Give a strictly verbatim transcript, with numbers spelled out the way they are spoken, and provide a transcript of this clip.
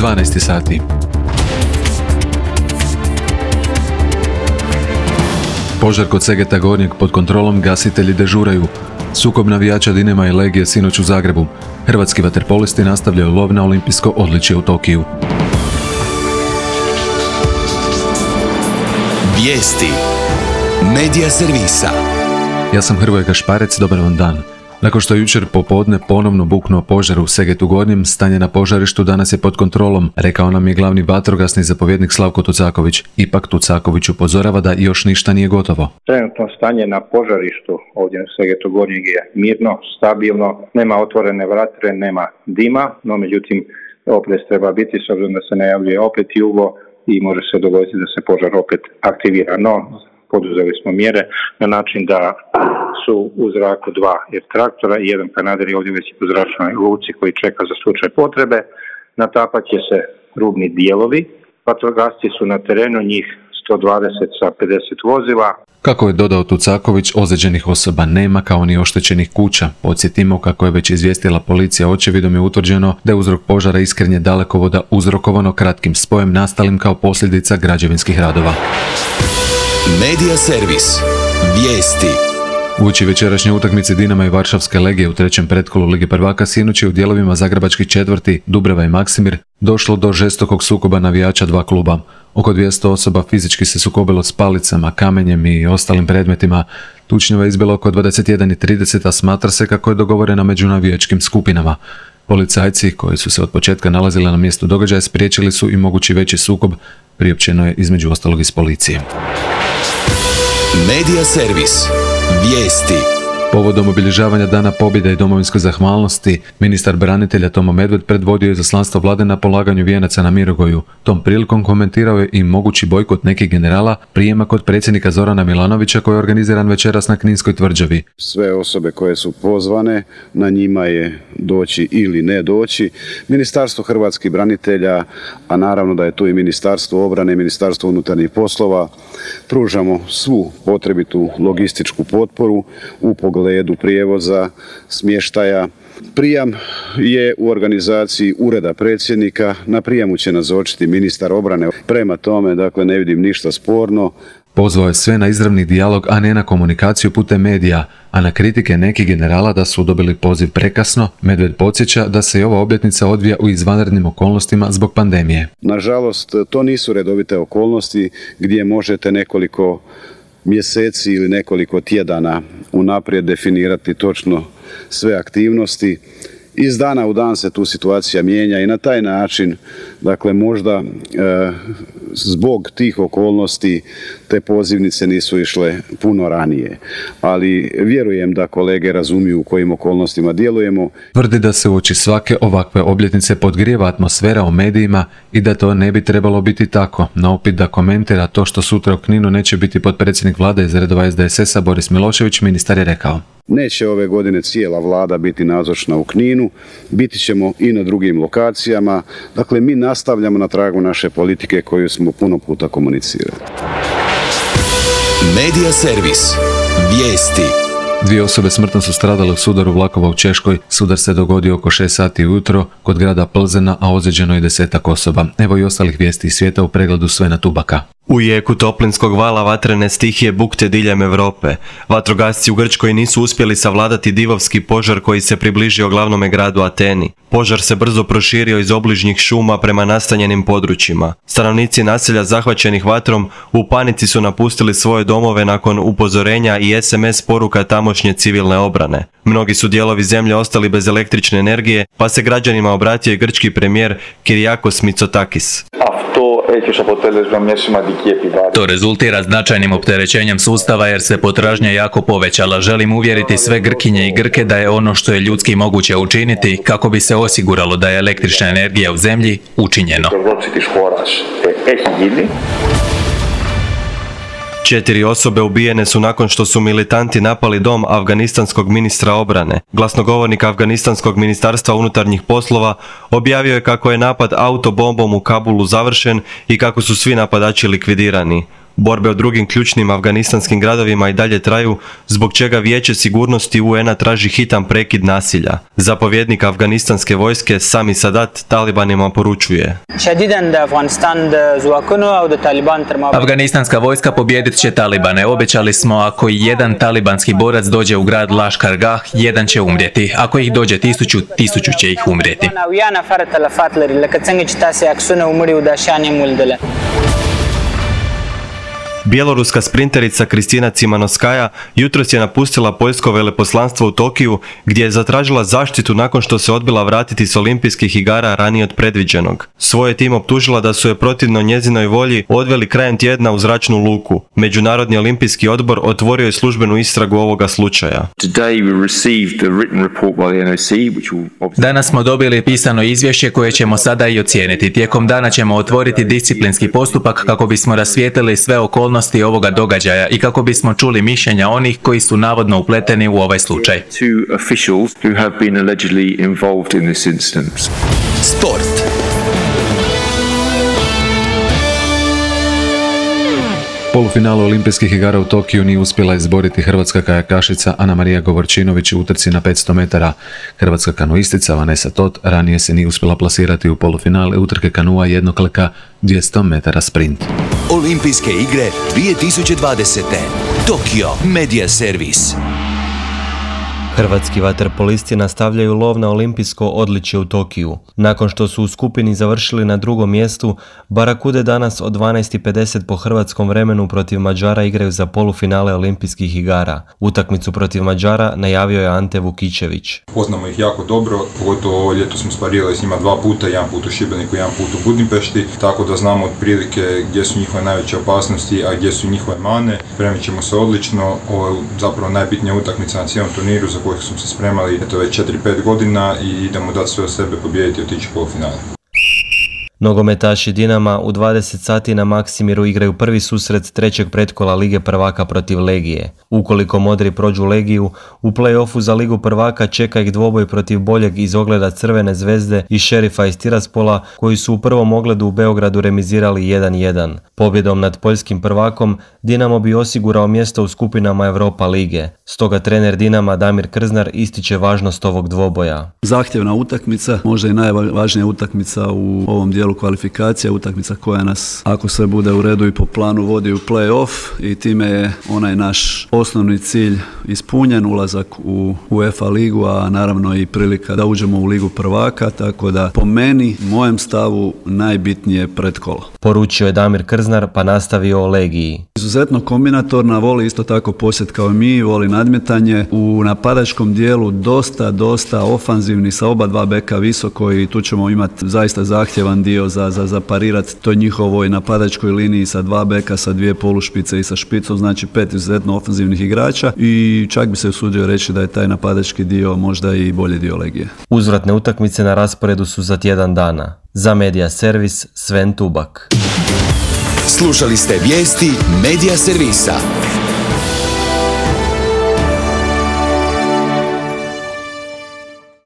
dvanaest sati. Požar kod Segeta Gornjeg pod kontrolom, gasitelji dežuraju. Sukob navijača Dinama i Legije sinoć u Zagrebu. Hrvatski vaterpolisti nastavljaju lov na olimpijsko odličje u Tokiju. Vijesti Medija servisa. Ja sam Hrvoje Gašparec, dobar vam dan. Nakon što je jučer popodne ponovno buknuo požar u Segetu Gornjem, stanje na požarištu danas je pod kontrolom, rekao nam je glavni vatrogasni zapovjednik Slavko Tucaković. Ipak Tucaković upozorava da još ništa nije gotovo. Trenutno stanje na požarištu ovdje u Segetu Gornjeg je mirno, stabilno, nema otvorene vatre, nema dima, no međutim oprez treba biti s obzirom da se najavljuje opet jugo i može se dogoditi da se požar opet aktivira. No, poduzeli smo mjere na način da su u zraku dva traktora i jedan kanader je ovdje već u zračnoj luci koji čeka za slučaj potrebe. Natapat će se rubni dijelovi. Vatrogasci su na terenu, njih sto dvadeset sa pedeset vozila. Kako je dodao Tucaković, ozlijeđenih osoba nema kao ni oštećenih kuća. Podsjetimo, kako je već izvijestila policija, očevidom je utvrđeno da je uzrok požara iskrenje dalekovoda uzrokovano kratkim spojem nastalim kao posljedica građevinskih radova. Medija servis. Vijesti. Uoči večerašnje utakmice Dinama i Varšavske Legije u trećem pretkolu Lige prvaka sinoć je u dijelovima zagrebačkih četvrti Dubrava i Maksimir došlo do žestokog sukoba navijača dva kluba. Oko dvjesto osoba fizički se sukobilo s palicama, kamenjem i ostalim predmetima. Tučnjava je izbila oko dvadeset jedan i trideset, a smatra se kako je dogovorena među navijačkim skupinama. Policajci, koji su se od početka nalazili na mjestu događaja, spriječili su i mogući veći sukob, priopćeno je između ostalog iz policije. Medija servis. Vijesti. Povodom obilježavanja Dana pobjede i domovinske zahvalnosti, ministar branitelja Tomo Medved predvodio je izaslanstvo vlade na polaganju vijenaca na Mirogoju. Tom prilikom komentirao je i mogući bojkot nekih generala prijema kod predsjednika Zorana Milanovića koji je organiziran večeras na Kninskoj tvrđavi. Sve osobe koje su pozvane, na njima je doći ili ne doći. Ministarstvo hrvatskih branitelja, a naravno da je tu i Ministarstvo obrane i Ministarstvo unutarnjih poslova, pružamo svu potrebitu logističku potporu u pogledu prijevoza, smještaja. Prijam je u organizaciji Ureda predsjednika, na prijemu će nazočiti ministar obrane. Prema tome, dakle, ne vidim ništa sporno. Pozvao je sve na izravni dijalog, a ne na komunikaciju putem medija, a na kritike nekih generala da su dobili poziv prekasno, Medved podsjeća da se i ova obljetnica odvija u izvanrednim okolnostima zbog pandemije. Nažalost, to nisu redovite okolnosti gdje možete nekoliko mjeseci ili nekoliko tjedana unaprijed definirati točno sve aktivnosti. Iz dana u dan se tu situacija mijenja i na taj način, dakle, možda e, zbog tih okolnosti te pozivnice nisu išle puno ranije. Ali vjerujem da kolege razumiju u kojim okolnostima djelujemo. Tvrdi da se uoči svake ovakve obljetnice podgrijeva atmosfera u medijima i da to ne bi trebalo biti tako. Na upit da komentira to što sutra u Kninu neće biti potpredsjednik vlade iz redova S D S S-a Boris Milošević, ministar je rekao: Neće ove godine cijela vlada biti nazočna u Kninu, biti ćemo i na drugim lokacijama. Dakle, mi nastavljamo na tragu naše politike koju smo puno puta komunicirali. Medija servis. Vijesti. Dvije osobe smrtno su stradale u sudaru vlakova u Češkoj. Sudar se dogodio oko šest sati ujutro kod grada Plzena, a ozlijeđeno je desetak osoba. Evo i ostalih vijesti iz svijeta u pregledu Svena Tubaka. U jeku toplinskog vala vatrene stihije bukte diljem Europe. Vatrogasci u Grčkoj nisu uspjeli savladati divovski požar koji se približio glavnome gradu Ateni. Požar se brzo proširio iz obližnjih šuma prema nastanjenim područjima. Stanovnici naselja zahvaćenih vatrom u panici su napustili svoje domove nakon upozorenja i S M S poruka tamošnje civilne obrane. Mnogi su dijelovi zemlje ostali bez električne energije, pa se građanima obratio i grčki premijer Kyriakos Mitsotakis. To rezultira značajnim opterećenjem sustava jer se potražnja jako povećala. Želim uvjeriti sve Grkinje i Grke da je ono što je ljudski moguće učiniti kako bi se osiguralo da je električna energija u zemlji učinjeno. Četiri osobe ubijene su nakon što su militanti napali dom afganistanskog ministra obrane. Glasnogovornik afganistanskog ministarstva unutarnjih poslova objavio je kako je napad autobombom u Kabulu završen i kako su svi napadači likvidirani. Borbe u drugim ključnim afganistanskim gradovima i dalje traju, zbog čega Vijeće sigurnosti U N-a traži hitan prekid nasilja. Zapovjednik afganistanske vojske Sami Sadat talibanima poručuje: Afganistanska vojska pobijedit će talibane. Obećali smo, ako jedan talibanski borac dođe u grad Lashkar Gah, jedan će umrijeti. Ako ih dođe tisuću, tisuću će ih umrijeti. Bjeloruska sprinterica Kristina Cimanovskaja jutros je napustila poljsko veleposlanstvo u Tokiju, gdje je zatražila zaštitu nakon što se odbila vratiti s olimpijskih igara ranije od predviđenog. Svoj je tim optužila da su je protivno njezinoj volji odveli krajem tjedna u zračnu luku. Međunarodni olimpijski odbor otvorio je službenu istragu ovoga slučaja. Danas smo dobili pisano izvješće koje ćemo sada i ocijeniti. Tijekom dana ćemo otvoriti disciplinski postupak kako bismo rasvijetlili sve okolnosti ovoga događaja i kako bismo čuli mišljenja onih koji su navodno upleteni u ovaj slučaj. Sport. Polufinalu olimpijskih igara u Tokiju nije uspjela izboriti hrvatska kajakašica Anamarija Govorčinović u utrci na petsto metara. Hrvatska kanuistica Vanessa Tot ranije se nije uspjela plasirati u polufinale utrke kanua jednokleka dvjesto metara sprint. Olimpijske igre dvije tisuće dvadesete. Tokio Media Servis. Hrvatski vaterpolisti nastavljaju lov na olimpijsko odličje u Tokiju. Nakon što su u skupini završili na drugom mjestu, Barakude danas od dvanaest i pedeset po hrvatskom vremenu protiv Mađara igraju za polufinale olimpijskih igara. Utakmicu protiv Mađara najavio je Ante Vukičević. Poznamo ih jako dobro, pogotovo ovo ljeto smo sparirali s njima dva puta, jedan put u Šibeniku, jedan put u Budimpešti, tako da znamo otprilike gdje su njihove najveće opasnosti, a gdje su njihove mane. Spremit ćemo se odlično, ovo je zapravo najbitnija utakmica na cijelom turniru za kojih smo se spremali eto već četiri pet godina i idemo dati sve od sebe, pobijediti i otići u polufinale. Nogometaši Dinama u dvadeset sati na Maksimiru igraju prvi susret trećeg pretkola Lige prvaka protiv Legije. Ukoliko Modri prođu Legiju, u play-offu za Ligu prvaka čeka ih dvoboj protiv boljeg iz ogleda Crvene zvezde i Šerifa iz Tiraspola, koji su u prvom ogledu u Beogradu remizirali jedan jedan. Pobjedom nad poljskim prvakom Dinamo bi osigurao mjesto u skupinama Europa lige. Stoga trener Dinama Damir Krznar ističe važnost ovog dvoboja. Zahtjevna utakmica, možda i najvažnija utakmica u ovom dijelu kvalifikacija, utakmica koja nas, ako sve bude u redu i po planu, vodi u play-off i time je onaj naš osnovni cilj ispunjen, ulazak u UEFA ligu, a naravno i prilika da uđemo u Ligu prvaka, tako da po meni, mojem stavu, najbitnije pretkolo. Poručio je Damir Krznar pa nastavio o Legiji. Izuzetno kombinatorna, voli isto tako posjet kao mi, voli nadmetanje. U napadačkom dijelu dosta, dosta ofanzivni sa oba dva beka visoko i tu ćemo imati zaista zahtjevan dio za, za, za parirati toj njihovoj napadačkoj liniji sa dva beka, sa dvije polušpice i sa špicom, znači pet izuzetno ofanzivnih igrača i čak bi se usudio reći da je taj napadački dio možda i bolji dio Legije. Uzvratne utakmice na rasporedu su za tjedan dana. Za Media Servis Sven Tubak. Slušali ste vijesti Media Servisa.